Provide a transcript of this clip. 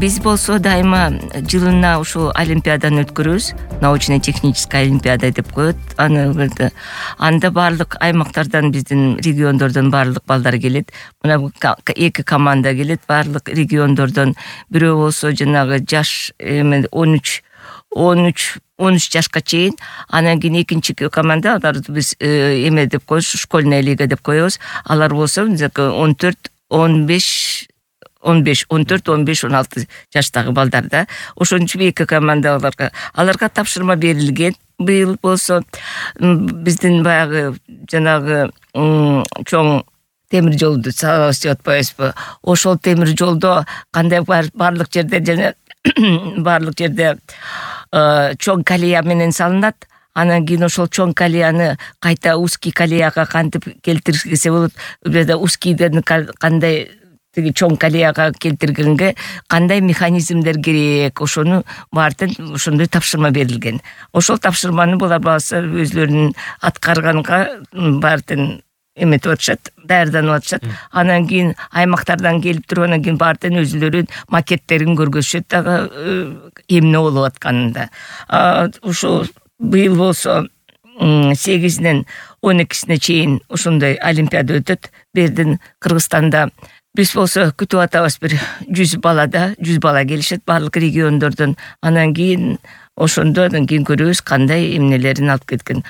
Биз болсо дайыма жылына ушул олимпиаданы өткөрөбүз. Научно-техническая олимпиада деп коет. Анда баардык аймактардан, биздин региондордон баардык балдар келет. Мына 2 команда келет баардык региондордон. Бирөө болсо жанагы жаш 13 жашка чейин, анан кийин экинчи команда, алар биз эме деп коебуз, школьная лига деп коебуз. Алар болсо 14, 15, 16 жаштагы балдар да. Ошончу 2 команда аларга тапшырма берилген. Быйыл болсо биздин баягы жанагы чоң темир жолду салабыз деп атпайбызбы? Ошол темир жолдо кандай баардык жерде чоң колея менен салынат. Анан кийин ошол чоң колеяны кайта узкий колеяга кантип келтирсе болот? Узкийден кандай тиги чоң колеяга келтиргенге кандай механизмдер керек? Ошону баардын ошондой тапшырма берилген. Ошол тапшырманы булар баасы өзлөрүнүн аткарганга баардын эметип атышат, даярданып атышат. Анан кийин аймактардан келип туруп, анан кийин баардын өзлөрүнүн макеттерин көргөзүшөт дагы эмне болуп атканында. Ушул быйыл болсо 8-нен 12-сине чейин ошондой олимпиада өтөт. Бердин Кыргызстанда биз болсо күтүп атабыз, бир 100 бала келишет баардык региондордон. Анан кийин ошондон кийин көрөбүз кандай эмнелерин алып кеткен.